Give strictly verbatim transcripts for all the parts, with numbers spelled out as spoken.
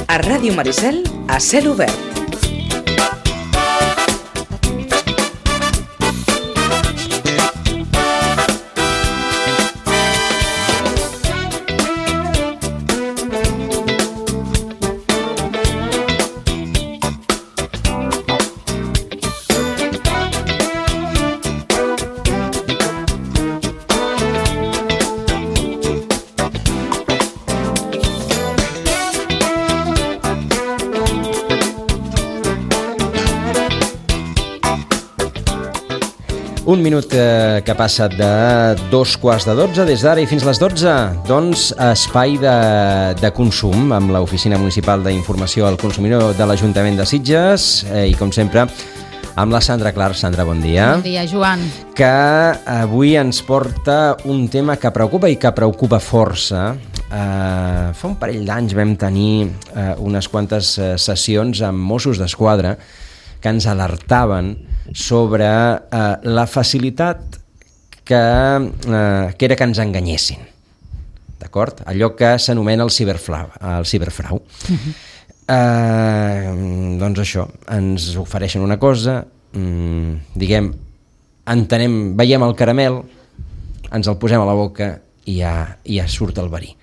A Ràdio Maricel, a cel obert. Un minut que, que passa de dos quarts de dotze, des d'ara i fins les dotze, doncs espai de, de consum amb l'Oficina Municipal d'Informació al Consumidor de l'Ajuntament de Sitges eh, i com sempre amb la Sandra Clar. Sandra, bon dia. Bon dia, Joan. Que avui ens porta un tema que preocupa i que preocupa força. Eh, fa un parell d'anys vam tenir eh, unes quantes eh, sessions amb Mossos d'Esquadra que ens alertaven sobre eh, la facilitat que, eh, que era que ens enganyessin, d'acord? Allò que s'anomena el ciberfrau. El ciberfrau. Uh-huh. eh, doncs això, ens ofereixen una cosa, mm, diguem, entenem, veiem el caramel, ens el posem a la boca i ja, i ja surt el verí.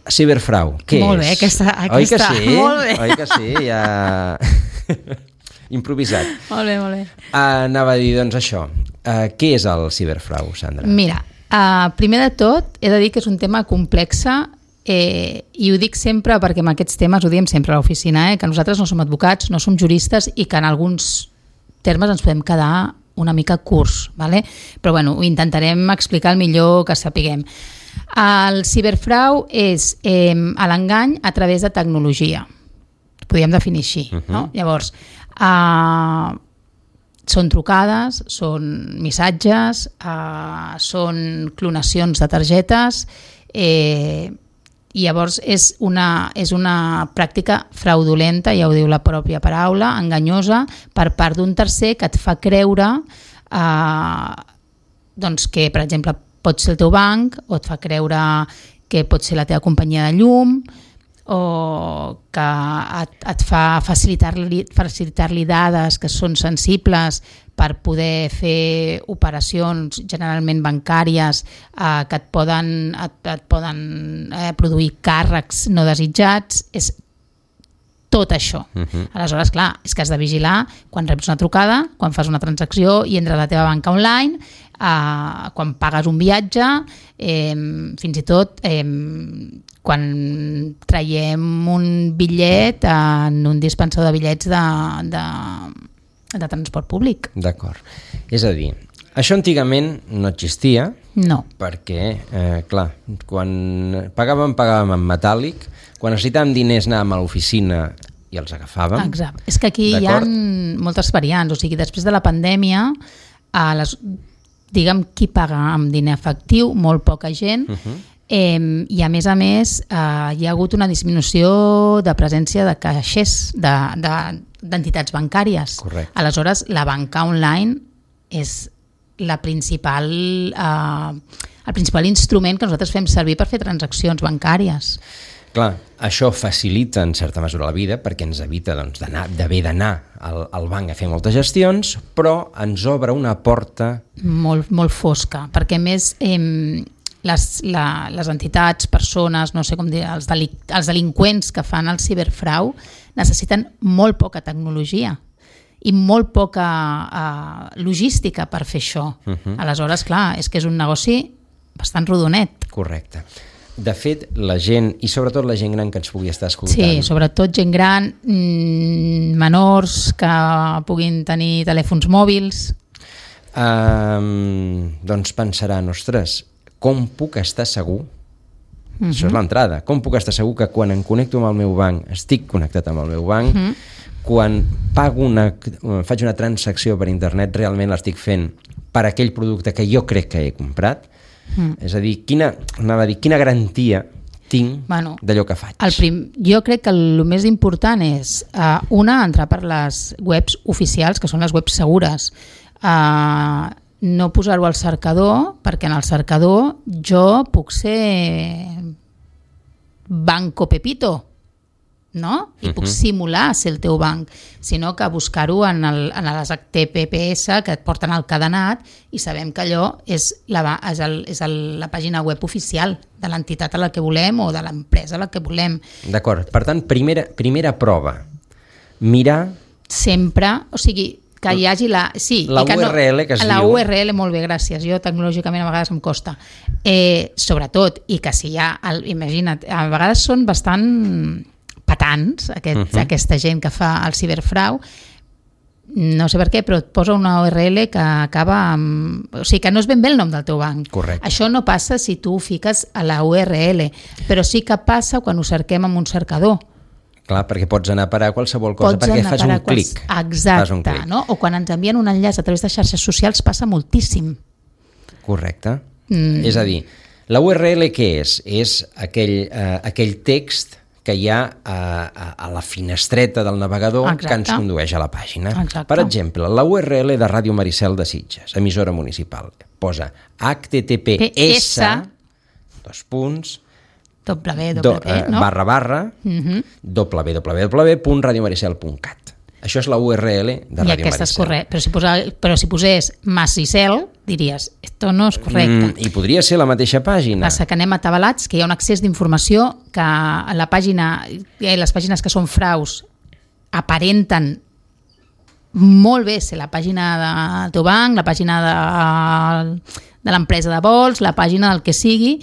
Ciberfrau, què Molt és? bé, aquesta, aquesta. Oi que sí? Molt bé. Oi que sí? Ja... improvisat. Molt bé, molt bé. Uh, anava a dir, doncs, això. Uh, què és el ciberfrau, Sandra? Mira, uh, primer de tot, he de dir que és un tema complex eh, i ho dic sempre perquè amb aquests temes ho diem sempre a l'oficina, eh, que nosaltres no som advocats, no som juristes i que en alguns termes ens podem quedar una mica curts, ¿vale? Però bueno, ho intentarem explicar el millor que sapiguem. El ciberfrau és eh, l'engany a través de tecnologia. Ho podríem definir així, uh-huh. no? Llavors, Uh, són trucades, són missatges, uh, són clonacions de targetes eh, i llavors és una, és una pràctica fraudulenta, ja ho diu la pròpia paraula, enganyosa per part d'un tercer que et fa creure uh, doncs que, per exemple, pot ser el teu banc o et fa creure que pot ser la teva companyia de llum o que et, et fa facilitar-li facilitar-li dades que són sensibles per poder fer operacions generalment bancàries eh, que et poden, et, et poden eh, produir càrrecs no desitjats. És tot això. Uh-huh. Aleshores, clar, és que has de vigilar quan reps una trucada, quan fas una transacció i entres a la teva banca online, eh, quan pagues un viatge, eh, fins i tot eh, quan traiem un bitllet en un dispensador de bitllets de, de, de transport públic. D'acord. És a dir, això antigament no existia, no. perquè, eh, clar, quan pagàvem, pagàvem en metàl·lic, quan necessitàvem diners anàvem a l'oficina i els agafàvem. Exacte. És que aquí d'acord? Hi ha moltes variants, o sigui, després de la pandèmia, a les, diguem, qui paga amb diner efectiu, molt poca gent, uh-huh. Eh, i a més a més eh, hi ha hagut una disminució de presència de caixers de, de, d'entitats bancàries. Correcte. Aleshores la banca online és la principal, eh, el principal instrument que nosaltres fem servir per fer transaccions bancàries. Clar, això facilita en certa mesura la vida perquè ens evita doncs, d'anar, d'haver d'anar al, al banc a fer moltes gestions, però ens obre una porta molt, molt fosca, perquè més eh, Les, la, les entitats, persones, no sé com dir, els, delic, els delinqüents que fan el ciberfrau necessiten molt poca tecnologia i molt poca uh, logística per fer això. Uh-huh. Aleshores, clar, és que és un negoci bastant rodonet. Correcte. De fet, la gent, i sobretot la gent gran que ens pugui estar escoltant... Sí, sobretot gent gran, mmm, menors que puguin tenir telèfons mòbils... Um, doncs pensaran, ostres, com puc estar segur? Uh-huh. Això és l'entrada. Com puc estar segur que quan em connecto amb el meu banc, estic connectat amb el meu banc, uh-huh. quan pago una, faig una transacció per internet, realment l'estic fent per aquell producte que jo crec que he comprat? Uh-huh. És a dir, quina, anava a dir, quina garantia tinc bueno, d'allò que faig? El prim, jo crec que el més important és, uh, una, entrar per les webs oficials, que són les webs segures, uh, no posar-ho al cercador, perquè en el cercador jo puc ser Banco Pepito, no? I puc simular ser el teu banc, sinó que buscar-ho en, el, en les T P P S que et porten al cadenat i sabem que allò és la, és el, és el, la pàgina web oficial de l'entitat a la que volem o de l'empresa a la que volem. D'acord, per tant, primera, primera prova, mirar... Sempre, o sigui, que hi hagi la... Sí, la que U R L no, que es la diu. U R L, molt bé, gràcies. Jo tecnològicament a vegades em costa. Eh, sobretot, i que si hi ha... El, imagina't, a vegades són bastant patants, aquest, uh-huh. aquesta gent que fa el ciberfrau, no sé per què, però et posa una U R L que acaba amb... O sigui, que no és ben bé el nom del teu banc. Correcte. Això no passa si tu ho fiques a la U R L, però sí que passa quan ho cerquem amb un cercador. Clar, perquè pots anar a parar a qualsevol cosa Pots perquè fas un quals... clic. Exacte, un clic. No? O quan ens envien un enllaç a través de xarxes socials passa moltíssim. Correcte. Mm. És a dir, la U R L què és? És aquell, eh, aquell text que hi ha a, a, a la finestreta del navegador. Exacte. Que ens condueix a la pàgina. Exacte. Per exemple, la U R L de Ràdio Maricel de Sitges, emissora municipal, posa H T T P S dos punts W, Do, w, eh, no? barra barra uh-huh. w w w punt radio maricel punt cat. Això és la U R L de I Ràdio aquesta és Maricel. correcte. Però si, posa, però si posés Maricel, diries, esto no és correcte. Mm, I podria ser la mateixa pàgina. Passa que anem atabalats, que hi ha un accés d'informació que a la pàgina, eh, les pàgines que són fraus aparenten molt bé ser la pàgina del teu banc, la pàgina de, de l'empresa de vols, la pàgina del que sigui,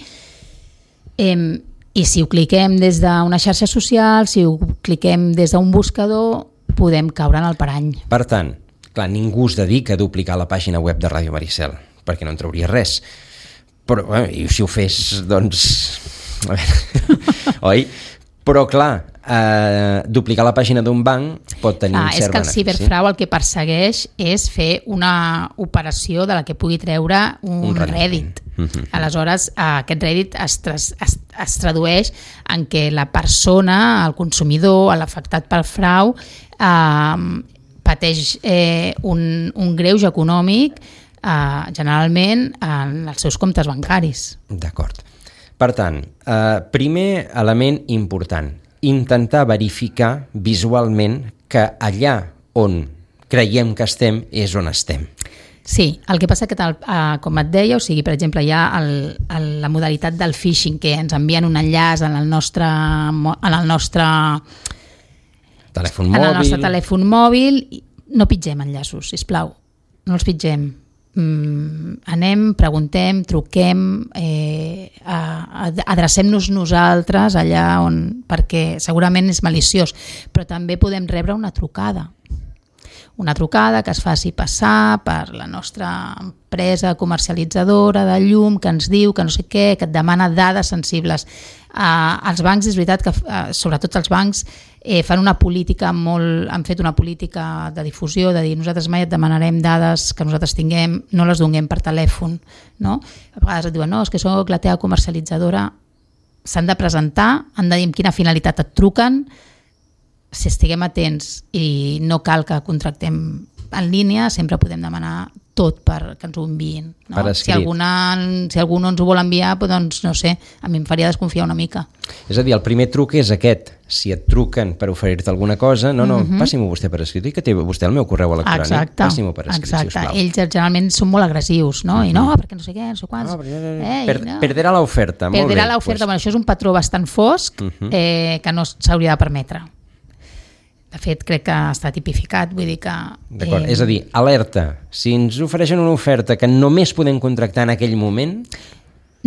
eh, i si ho cliquem des d'una xarxa social, si ho cliquem des d'un buscador, podem caure en el parany. Per tant, clar, ningú es dedica a duplicar la pàgina web de Ràdio Maricel, perquè no en trauria res. Però, bueno, i si ho fes, doncs... A veure, oi? Però, clar, eh, duplicar la pàgina d'un banc pot tenir ah, un cert benefici. És que el ciberfrau el que persegueix és fer una operació de la que pugui treure un, un rèdit. Mm-hmm. Aleshores, aquest rèdit es, es, es, es tradueix en què la persona, el consumidor, l'afectat pel frau, eh, pateix eh, un, un greuge econòmic eh, generalment en els seus comptes bancaris. D'acord. Per tant, eh, primer element important, intentar verificar visualment que allà on creiem que estem és on estem. Sí, el que passa que, tal, eh, com et deia, o sigui, per exemple, hi ha el, el, la modalitat del phishing, que ens envien un enllaç en el nostre, en el nostre, telèfon en mòbil. el nostre telèfon mòbil. No pitgem enllaços, sisplau, no els pitgem. Mm, anem, preguntem, truquem, eh, adrecem-nos nosaltres allà on, perquè segurament és maliciós, però també podem rebre una trucada. Una trucada que es faci passar per la nostra empresa comercialitzadora de llum, que ens diu que no sé què, que et demana dades sensibles. Uh, els bancs, és veritat que, uh, sobretot els bancs, eh, fan una política molt, han fet una política de difusió, de dir nosaltres mai et demanarem dades que nosaltres tinguem, no les donem per telèfon, no? A vegades et diuen, no, és que soc la teva comercialitzadora, s'han de presentar, han de dir amb quina finalitat et truquen, si estiguem atents i no cal que contractem en línia, sempre podem demanar tot per que ens ho enviïn. No? Si, alguna, si algú no ens ho vol enviar, doncs no sé, a mi em faria desconfiar una mica. És a dir, el primer truc és aquest. Si et truquen per oferir-te alguna cosa, no, no, mm-hmm. passi-m'ho vostè per escrit, i que té vostè el meu correu electrònic, exacte, passi-m'ho per escrit, exacte. sisplau. Ells generalment són molt agressius, no? Mm-hmm. I no, perquè no sé què, no sé quants. No, Ei, per, no. Perderà l'oferta, molt perderà bé. l'oferta, Pues... bueno, això és un patró bastant fosc mm-hmm. eh, que no s'hauria de permetre. De fet, crec que està tipificat, vull dir que... D'acord, eh... és a dir, alerta, si ens ofereixen una oferta que només podem contractar en aquell moment,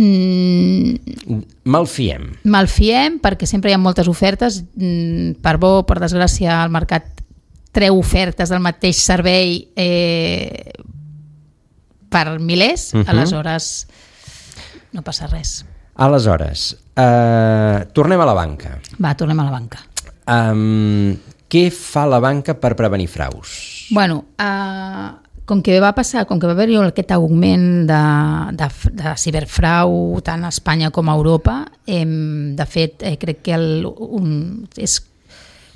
mm... malfiem. Malfiem, perquè sempre hi ha moltes ofertes, per bo, per desgràcia, el mercat treu ofertes del mateix servei eh, per milers, uh-huh. aleshores no passa res. Aleshores, eh, tornem a la banca. Va, tornem a la banca. Um, què fa la banca per prevenir fraus? Bueno, uh, com que va passar, com que va haver-hi aquest augment de, de, de ciberfrau tant a Espanya com a Europa, eh, de fet, eh, crec que el, un, és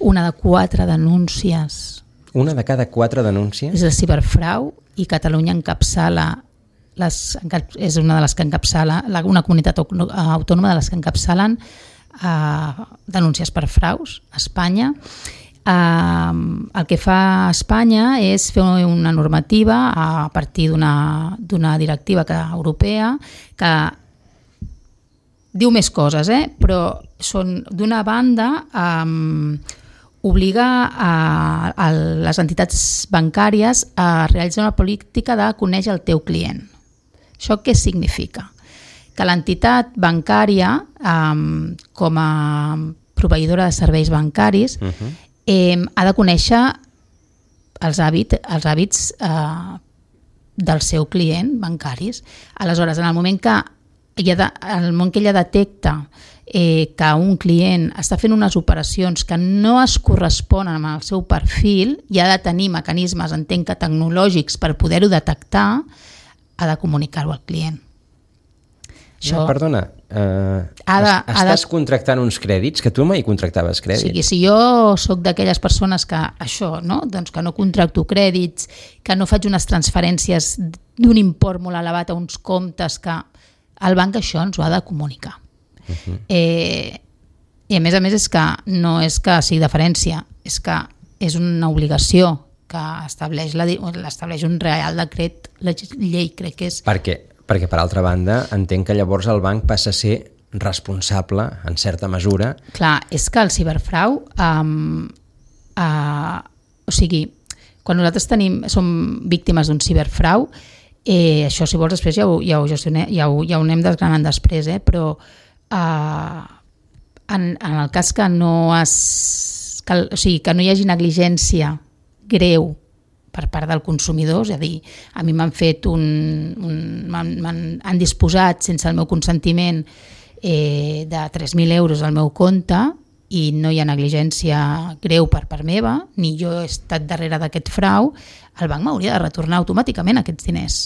una de quatre denúncies. Una de cada quatre denúncies? És de ciberfrau, i Catalunya encapçala, les, és una de les que encapçala, una comunitat autònoma de les que encapçalen uh, denúncies per fraus a Espanya. Uh, el que fa Espanya és fer una normativa a partir d'una d'una directiva que, europea que diu més coses, eh? Però són, d'una banda, um, obliga a, a les entitats bancàries a realitzar una política de conèixer el teu client. Això què significa? Que l'entitat bancària, um, com a proveïdora de serveis bancaris, uh-huh. eh, ha de conèixer els hàbits, els hàbits eh, del seu client bancaris. Aleshores, en el moment que ella, en el moment que ella detecta eh, que un client està fent unes operacions que no es corresponen amb el seu perfil i ha de tenir mecanismes, entenc que tecnològics, per poder-ho detectar, ha de comunicar-ho al client. Això, no, perdona, uh, ha de, estàs ha de... contractant uns crèdits, que tu mai contractaves crèdits. O sigui, si jo sóc d'aquelles persones que això, no? Doncs que no contracto crèdits, que no faig unes transferències d'un import molt elevat a uns comptes, que el banc això ens ho ha de comunicar. Uh-huh. Eh, I a més a més és que no és que sigui deferència, és que és una obligació que estableix, la, l'estableix un Real Decret Llei, crec que és... Per què? Perquè, per altra banda, entenc que llavors el banc passa a ser responsable, en certa mesura. Clar, és que el ciberfrau... Um, uh, o sigui, quan nosaltres tenim, som víctimes d'un ciberfrau, eh, això, si vols, després ja ho, ja ho, gestionem, ja ho, ja ho anem desgranant després, eh, però uh, en, en el cas que no, es, que, o sigui, que no hi hagi negligència greu per part del consumidor, és a dir, a mi m'han fet un... un m'han, m'han, han disposat sense el meu consentiment eh, de tres mil euros al meu compte i no hi ha negligència greu per part meva, ni jo he estat darrere d'aquest frau, el banc m'hauria de retornar automàticament aquests diners.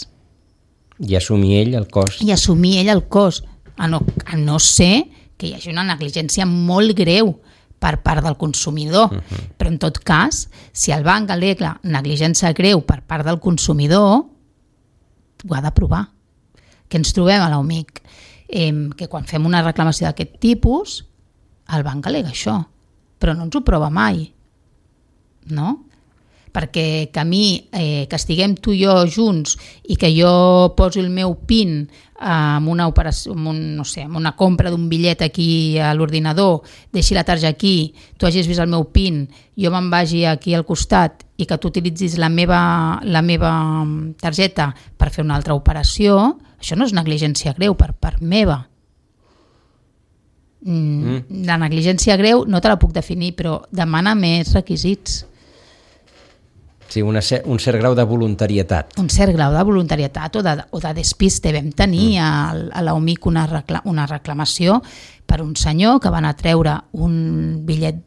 I assumir ell el cost. I assumir ell el cost, a no, a no ser que hi hagi una negligència molt greu per part del consumidor. Uh-huh. Però en tot cas, si el banc al·lega negligència greu per part del consumidor, ho ha de provar. Que ens trobem a l'O M I C? Eh, que quan fem una reclamació d'aquest tipus, el banc al·lega això, però no ens ho prova mai. No? Perquè que a mi, eh, que estiguem tu i jo junts i que jo posi el meu PIN amb una operació, amb un, no sé, amb una compra d'un bitllet aquí a l'ordinador, deixi la targeta aquí, tu hagis vist el meu PIN, jo me'n vagi aquí al costat i que tu utilitzis la meva, la meva targeta per fer una altra operació, això no és negligència greu per part meva. Mm. La negligència greu no te la puc definir, però demana més requisits. Sí, una, un cert grau de voluntarietat. Un cert grau de voluntarietat o de, o de despiste. Vam tenir mm. a, a l'O M I C una, recla, una reclamació per un senyor que van a treure un bitllet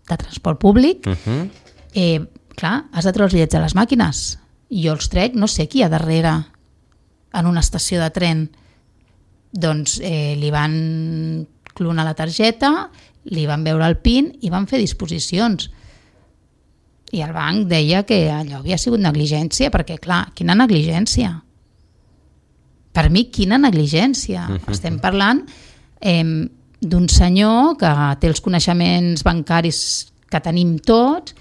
de transport públic. Uh-huh. Eh, clar, has de treure els bitllets a les màquines. I jo els trec, no sé qui hi ha darrere en una estació de tren. Doncs eh, li van clonar la targeta, li van veure el PIN i van fer disposicions. I el banc deia que allò havia sigut negligència, perquè, clar, quina negligència? Per mi, quina negligència? Uh-huh. Estem parlant eh, d'un senyor que té els coneixements bancaris que tenim tots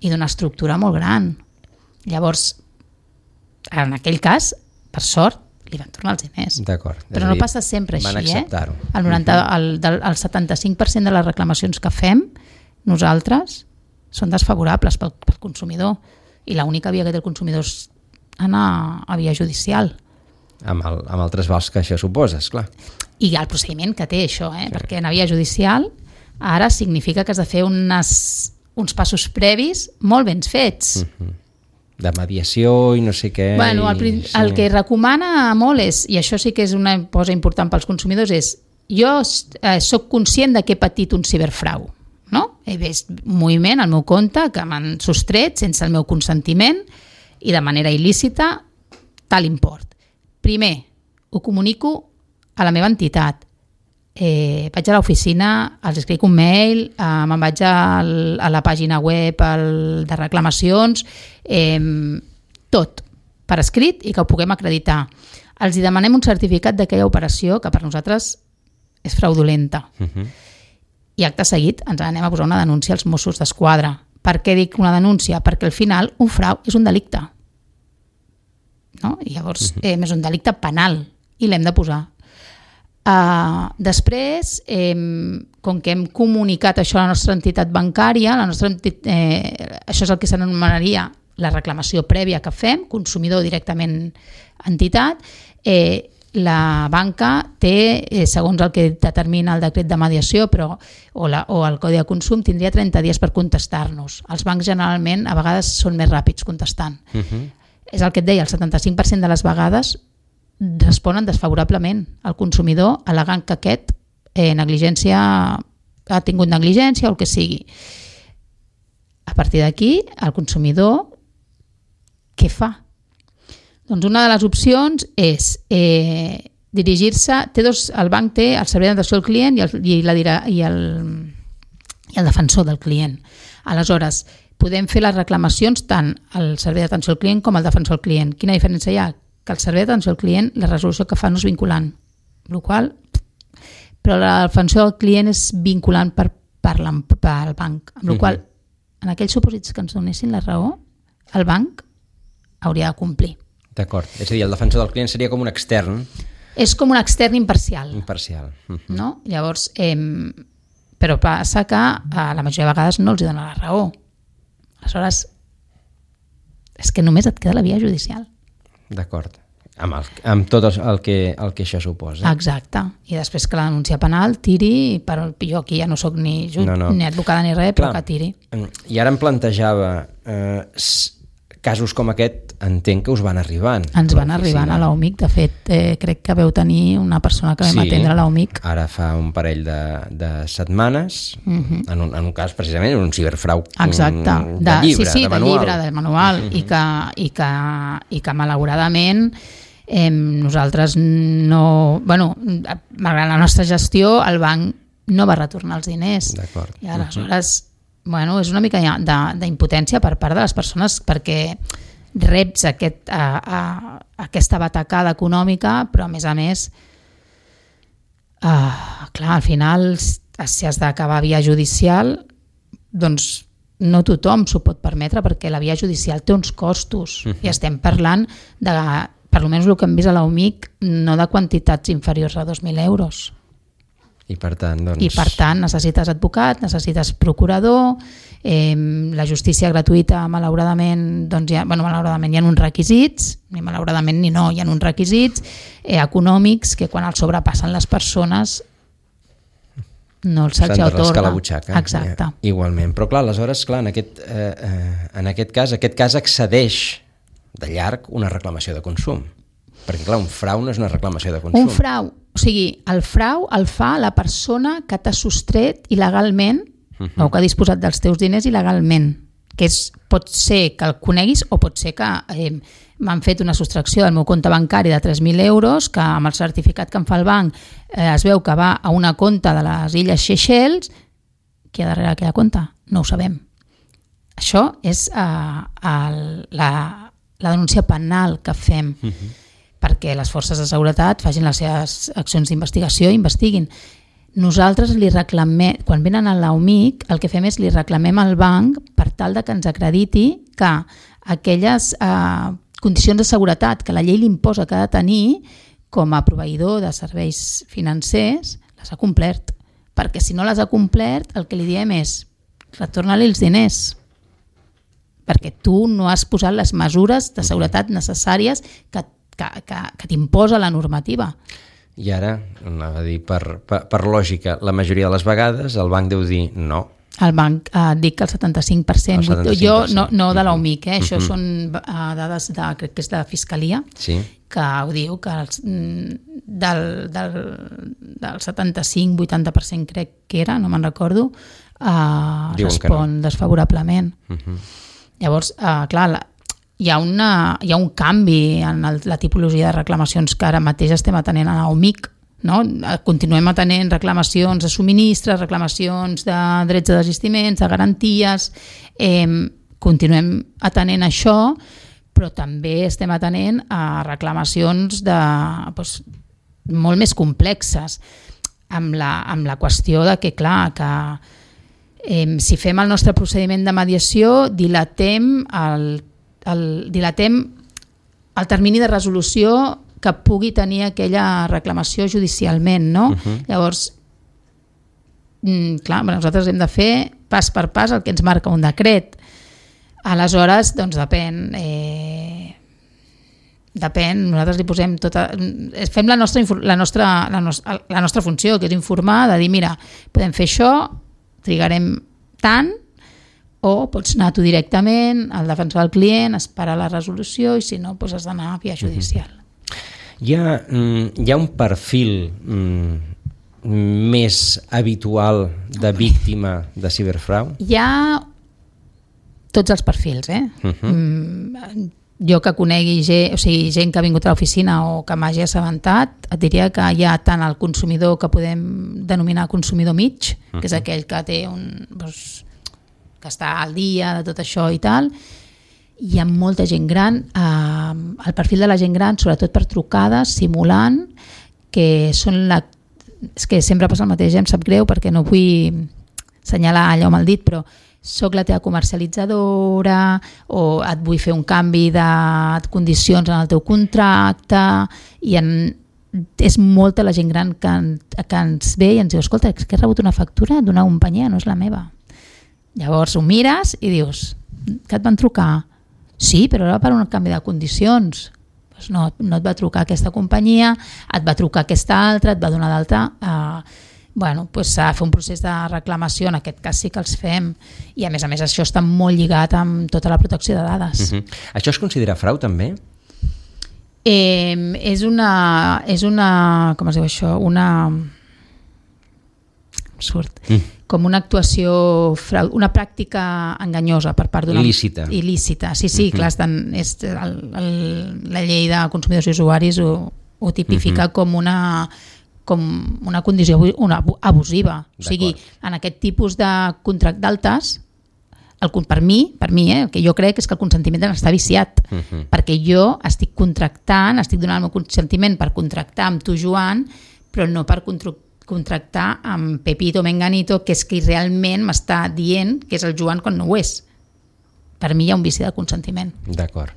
i d'una estructura molt gran. Llavors, en aquell cas, per sort, li van tornar els diners. D'acord. Però no passa sempre van així, acceptar-ho. Eh? El, noranta, el, del, el setanta-cinc per cent de les reclamacions que fem nosaltres són desfavorables pel, pel consumidor i l'única via que té el consumidor és anar a via judicial. Amb el, amb el trasbals que això suposa, esclar. I el procediment que té això, eh? Sí. Perquè anar a via judicial ara significa que has de fer unes, uns passos previs molt ben fets. Uh-huh. De mediació i no sé què. Bueno, el, i, sí. el que recomana molt és, i això sí que és una cosa important pels consumidors, és jo eh, soc conscient de que he patit un ciberfrau. No? He vist un moviment al meu compte que m'han sostret sense el meu consentiment i de manera il·lícita tal import. Primer, ho comunico a la meva entitat. Eh, vaig a l'oficina, els escric un mail, eh, me'n vaig al, a la pàgina web el, de reclamacions, eh, tot per escrit i que ho puguem acreditar. Els hi demanem un certificat d'aquella operació que per nosaltres és fraudulenta. Uh-huh. I acte seguit ens anem a posar una denúncia als Mossos d'Esquadra. Per què dic una denúncia? Perquè al final un frau és un delicte. No? I llavors uh-huh. eh, és un delicte penal i l'hem de posar. Uh, després, eh, com que hem comunicat això a la nostra entitat bancària, la nostra entitat, eh, això és el que s'anomenaria la reclamació prèvia que fem, consumidor directament entitat, eh, la banca té, eh, segons el que determina el decret de mediació però, o, la, o el codi de consum, tindria trenta dies per contestar-nos. Els bancs generalment a vegades són més ràpids contestant. Uh-huh. És el que et deia, el setanta-cinc per cent de les vegades responen desfavorablement al consumidor al·legant que aquest eh, negligència ha tingut negligència o el que sigui. A partir d'aquí, el consumidor què fa? Doncs una de les opcions és eh, dirigir-se, té dos, el banc té el servei d'atenció al client i el, i, la, i, el, i el defensor del client. Aleshores, podem fer les reclamacions tant al servei d'atenció al client com al defensor del client. Quina diferència hi ha? Que el servei d'atenció al client, la resolució que fa no és vinculant, el qual, però la defensa del client és vinculant per, per, per al banc, amb la qual cosa, en aquells supòsits que ens donessin la raó, el banc hauria de complir. D'acord, és a dir, el defensor del client seria com un extern. És com un extern imparcial. Imparcial. Uh-huh. No? Llavors, eh, però passa que a la majoria de vegades no els dona la raó. Aleshores, és que només et queda la via judicial. D'acord, amb, el, amb tot el que, el que això suposa. Exacte, i després que la denúncia penal tiri, però jo aquí ja no sóc ni, jut, no, no. ni advocada ni res, però que tiri. I ara em plantejava, eh, casos com aquest entenc que us van arribant. Ens van arribant a l'A U M I C, de fet eh, crec que veu tenir una persona que vam sí, atendre a l'A U M I C. Ara fa un parell de, de setmanes, uh-huh. en, un, en un cas precisament un ciberfrau. Exacte, de, de llibre, sí, sí, de de manual. llibre, de manual, uh-huh. i, que, i, que, i que malauradament eh, nosaltres no... Bueno, malgrat la nostra gestió, el banc no va retornar els diners. D'acord. I aleshores... Uh-huh. Bueno, és una mica d'impotència per part de les persones perquè reps aquest, a, a, aquesta batacada econòmica, però a més a més uh, clar, al final si has d'acabar via judicial doncs no tothom s'ho pot permetre perquè la via judicial té uns costos uh-huh. i estem parlant de, per almenys el que hem vist a l'A U M I C, no de quantitats inferiors a dos mil euros. I per tant, doncs... I per tant necessites advocat, necessites procurador, eh, la justícia gratuïta malauradament, doncs ja, bueno, malauradament hi ha uns requisits, ni malauradament ni no, hi ha uns requisits eh, econòmics que quan els sobrepassen les persones no els se'ls atorga. S'han de rascar la butxaca. Exacte. Ja, igualment, però clar, aleshores, clar, en aquest, eh, eh, en aquest cas, aquest cas excedeix de llarg una reclamació de consum. Perquè clar, un frau no és una reclamació de consum. Un frau, o sigui, el frau el fa la persona que t'ha sostret il·legalment uh-huh. o que ha disposat dels teus diners il·legalment, que és, pot ser que el coneguis o pot ser que eh, m'han fet una sostracció del meu compte bancari de tres mil euros, que amb el certificat que em fa el banc eh, es veu que va a una compte de les Illes Seychelles, qui hi ha darrere aquella compte? No ho sabem. Això és eh, el, la, la denúncia penal que fem. Uh-huh. Perquè les forces de seguretat facin les seves accions d'investigació i investiguin. Nosaltres li reclamem, quan venen a l'A U M I C, el que fem és li reclamem al banc per tal de que ens acrediti que aquelles eh, condicions de seguretat que la llei li imposa que ha de tenir com a proveïdor de serveis financers, les ha complert. Perquè si no les ha complert, el que li diem és retorna-li els diners. Perquè tu no has posat les mesures de seguretat necessàries que que, que, que t'imposa la normativa. I ara, anava a dir, per, per, per lògica, la majoria de les vegades el banc deu dir no. El banc eh, dic que el setanta-cinc per cent. El setanta-cinc per cent. Jo no, no de l'A U M I C, eh? Això uh-huh. són uh, dades de, crec que és de Fiscalia, sí. que ho diu que els, del, del, del setanta-cinc vuitanta per cent crec que era, no me'n recordo, uh, respon no. desfavorablement. Uh-huh. Llavors, uh, clar, la, Hi ha, una, hi ha un canvi en el, la tipologia de reclamacions que ara mateix estem atenent a l'A U M I C. No? Continuem atenent reclamacions de subministres, reclamacions de drets de desistiments, de garanties, eh, continuem atenent això, però també estem atenent a reclamacions de, doncs, molt més complexes. amb la, amb la qüestió de que, clar, que eh, si fem el nostre procediment de mediació, dilatem el, el, dilatem el termini de resolució que pugui tenir aquella reclamació judicialment, no? Uh-huh. Llavors, mm, clar, nosaltres hem de fer pas per pas el que ens marca un decret. Aleshores, doncs depèn... Eh, depèn, nosaltres li posem tota... Fem la nostra, la, nostra, la, nostra, la nostra funció, que és informar, de dir, mira, podem fer això, trigarem tant, o pots anar tu directament al defensor del client, esperar la resolució, i si no, doncs has d'anar a via judicial. Hi ha, hi ha un perfil mm, més habitual de víctima de ciberfrau? Hi ha tots els perfils, eh? Uh-huh. Mm, jo que conegui gent, o sigui, gent que ha vingut a l'oficina o que m'hagi assabentat, et diria que hi ha tant el consumidor que podem denominar consumidor mig, uh-huh. que és aquell que té un... Doncs, que està al dia de tot això i tal. Hi ha molta gent gran, eh, el perfil de la gent gran, sobretot per trucades, simulant, que són la... És que sempre passa el mateix, em sap greu perquè no vull assenyalar allò amb el dit, però soc la teva comercialitzadora o et vull fer un canvi de condicions en el teu contracte, i en, és molta la gent gran que, que ens ve i ens diu, escolta, és que he rebut una factura d'una companyia, no és la meva. Llavors ho mires i dius, que et van trucar? Sí, però era per un canvi de condicions. Pues no, no et va trucar aquesta companyia, et va trucar aquesta altra, et va donar d'alta. Uh, bueno, pues s'ha de fer un procés de reclamació, en aquest cas sí que els fem, i a més a més això està molt lligat amb tota la protecció de dades. Uh-huh. Això es considera frau també? Eh, és una, és una, com es diu això, una... surt, mm. com una actuació, una pràctica enganyosa per part d'una... Il·lícita. Il·lícita, sí, sí, mm-hmm. clar, estan, és, el, el, la llei de consumidors i usuaris ho, ho tipifica mm-hmm. com una com una condició una abusiva. O sigui, en aquest tipus de contracte d'altes, el, per mi, per mi eh, el que jo crec és que el consentiment està viciat, mm-hmm. perquè jo estic contractant, estic donant el meu consentiment per contractar amb tu, Joan, però no per contractar contractar amb Pepito Menganito, que és qui realment m'està dient que és el Joan quan no ho és. Per mi hi ha un vici de consentiment. D'acord.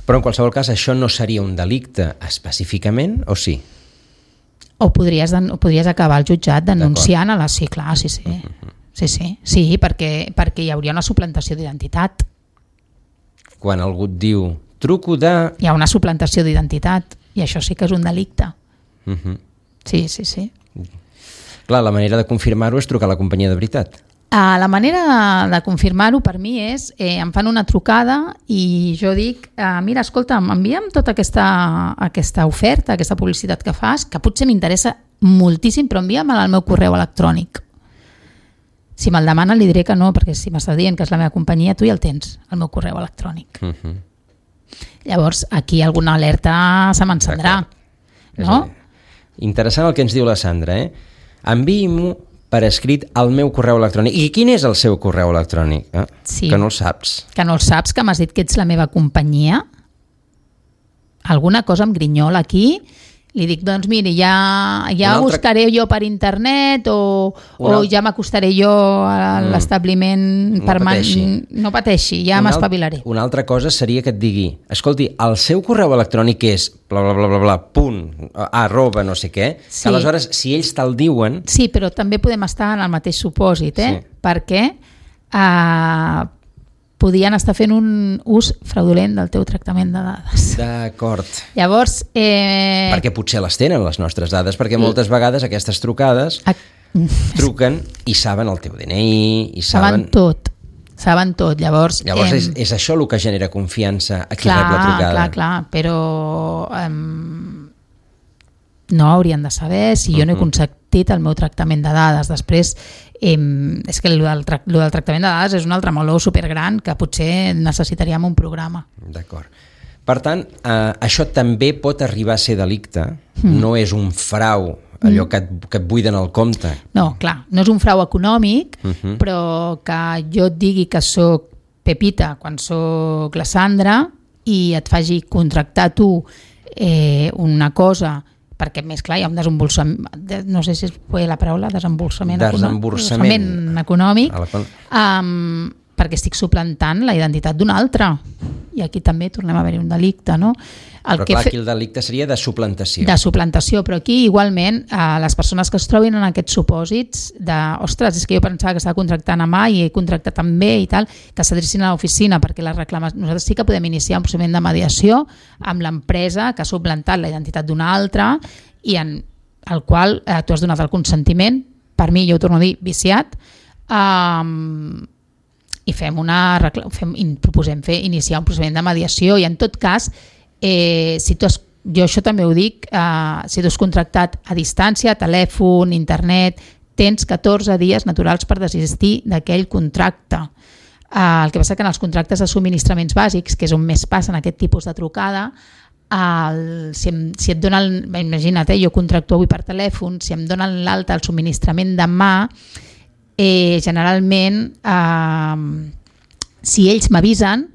Però en qualsevol cas això no seria un delicte específicament, o sí? O podries, o podries acabar al jutjat denunciant a la... Sí, clar, sí, sí. Uh-huh. Sí, sí, sí perquè, perquè hi hauria una suplantació d'identitat. Quan algú et diu, truco de... Hi ha una suplantació d'identitat, i això sí que és un delicte. Uh-huh. Sí, sí, sí. Clar, la manera de confirmar-ho és trucar a la companyia de veritat. Uh, la manera de, de confirmar-ho per mi és, eh, em fan una trucada i jo dic, uh, mira, escolta, m'envia'm tota aquesta, aquesta oferta, aquesta publicitat que fas, que potser m'interessa moltíssim, però envia'm-la al meu correu electrònic. Si me'l demana li diré que no, perquè si m'està dient que és la meva companyia, tu ja el tens, el meu correu electrònic. Uh-huh. Llavors, aquí alguna alerta se m'encendrà. No? Interessant el que ens diu la Sandra, eh? Enviï-m'ho per escrit al meu correu electrònic. I quin és el seu correu electrònic? Eh? Sí. Que no el saps. Que no el saps, que m'has dit que ets la meva companyia? Alguna cosa em grinyola aquí? Li dic, doncs miri, ja, ja altre... buscaré jo per internet o, o alt... ja m'acostaré jo a mm. l'establiment no permanent. Pateixi. No pateixi, ja una m'espavilaré. Una altra cosa seria que et digui, escolti, el seu correu electrònic és bla, bla, bla, bla, bla, punt, arroba, no sé què, sí. Que aleshores, si ells te'l diuen... Sí, però també podem estar en el mateix supòsit, eh? Sí. Perquè eh, podien estar fent un ús fraudulent del teu tractament de dades. D'acord. Llavors... Eh... Perquè potser les tenen, les nostres dades, perquè moltes vegades aquestes trucades a... truquen i saben el teu D N I, i saben... Saben tot, saben tot. Llavors, Llavors eh... és, és això el que genera confiança a qui clar, rep la trucada. Clar, clar, però... Eh... no haurien de saber si jo uh-huh. no he consentit el meu tractament de dades. Després, eh, és que el del, tra- el del tractament de dades és un altre meló supergran que potser necessitaríem un programa. D'acord. Per tant, eh, això també pot arribar a ser delicte, mm. no és un frau, allò mm. que, et, que et buiden el compte. No, clar, no és un frau econòmic, uh-huh. però que jo et digui que sóc Pepita quan sóc la Sandra i et faci contractar tu eh, una cosa perquè més clar hi ha un desembolsament, no sé si es pot la paraula, desembolsament, desembolsament econòmic, econòmic la... um, perquè estic suplantant la identitat d'un altre, i aquí també tornem a haver-hi un delicte, no? El però que clar, fe... aquí el delicte seria de suplantació. De suplantació, però aquí igualment eh, les persones que es trobin en aquests supòsits de, ostres, és que jo pensava que estava contractant a mà i he contractat amb B i tal, que s'adrecin a l'oficina, perquè les reclames... nosaltres sí que podem iniciar un procediment de mediació amb l'empresa que ha suplantat la identitat d'una altra i en el qual eh, tu has donat el consentiment, per mi, jo ho torno a dir, viciat, eh, i fem una, fem, proposem fer, iniciar un procediment de mediació i en tot cas Eh, si tu has, jo això també ho dic, eh, si tu has contractat a distància, telèfon, internet, tens catorze dies naturals per desistir d'aquell contracte. Eh, el que passa que en els contractes de subministraments bàsics, que és on més passen aquest tipus de trucada, el, si, em, si et donen, imagina't, eh, jo contracto avui per telèfon, si em donen l'alta al subministrament demà, eh, generalment eh, si ells m'avisen,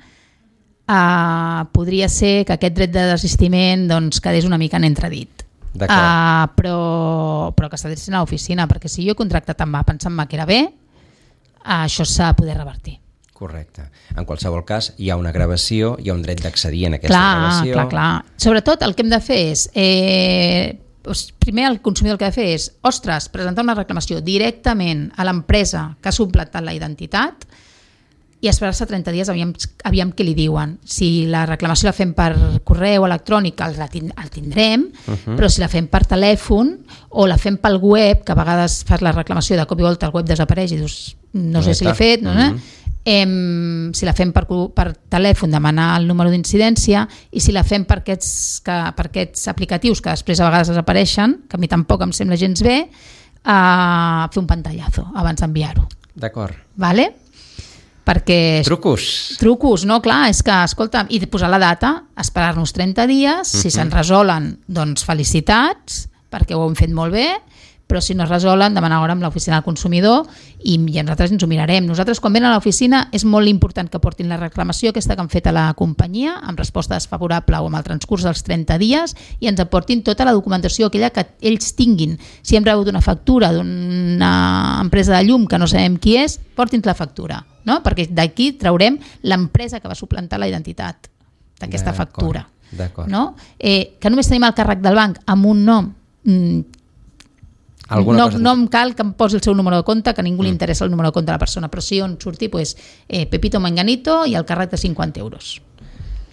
Uh, podria ser que aquest dret de desistiment doncs, quedés una mica en entredit, uh, però, però que s'adrecin a l'oficina, perquè si jo he contractat amb A pensant-me que era bé, uh, això s'ha de poder revertir. Correcte. En qualsevol cas hi ha una gravació, hi ha un dret d'accedir en aquesta clar, gravació. Clar, clar. Sobretot el que hem de fer és eh, primer el consumidor el que ha de fer és ostres, presentar una reclamació directament a l'empresa que ha suplantat la identitat i esperar-se trenta dies, aviam, aviam què li diuen. Si la reclamació la fem per correu electrònic, el, el tindrem, uh-huh. però si la fem per telèfon o la fem pel web, que a vegades fas la reclamació de cop i volta el web desapareix i dius, no, no sé si l'he fet, no, uh-huh. eh, si la fem per, per telèfon, demanar el número d'incidència, i si la fem per aquests, que, per aquests aplicatius que després a vegades desapareixen, que a mi tampoc em sembla gens bé, eh, fer un pantallazo abans d'enviar-ho. D'acord. Vale? Perquè... Trucos. Trucos, no? Clar, és que, escolta, i posar la data, esperar-nos trenta dies, si uh-huh. se'n resolen, doncs felicitats, perquè ho hem fet molt bé, però si no es resolen, demanar hora amb l'oficina del consumidor i, i nosaltres ens ho mirarem. Nosaltres, quan venen a l'oficina, és molt important que portin la reclamació aquesta que han fet a la companyia, amb resposta desfavorable o amb el transcurs dels trenta dies, i ens aportin tota la documentació aquella que ells tinguin. Si hem rebut una factura d'una empresa de llum que no sabem qui és, portin la factura, no? Perquè d'aquí traurem l'empresa que va suplantar la identitat d'aquesta factura. D'acord. No? Eh, que només tenim el càrrec del banc amb un nom, mm, no, no em cal que em posi el seu número de compte, que a ningú mm. li interessa el número de compte de la persona, però sí on surti pues, eh, Pepito Manganito i el càrrec de cinquanta euros.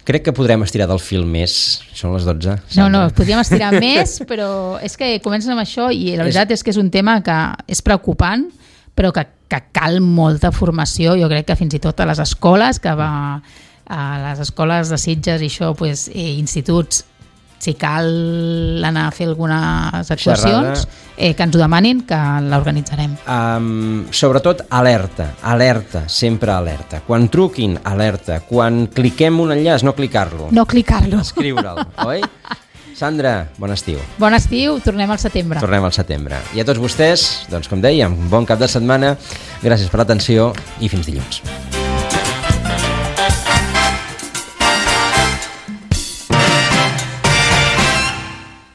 Crec que podrem estirar del fil més. Són les dotze. No, no, podríem estirar més, però és que comencen amb això i la veritat és que és un tema que és preocupant, però que, que cal molta formació, jo crec que fins i tot a les escoles, que va a les escoles de Sitges i això, pues, eh, instituts, si cal anar a fer algunes actuacions, eh, que ens ho demanin, que l'organitzarem. Um, sobretot, alerta, alerta, sempre alerta. Quan truquin, alerta. Quan cliquem un enllaç, no clicar-lo. No clicar-lo. Escriure'l, oi? Sandra, bon estiu. Bon estiu, tornem al setembre. Tornem al setembre. I a tots vostès, doncs com dèiem, bon cap de setmana, gràcies per l'atenció i fins dilluns.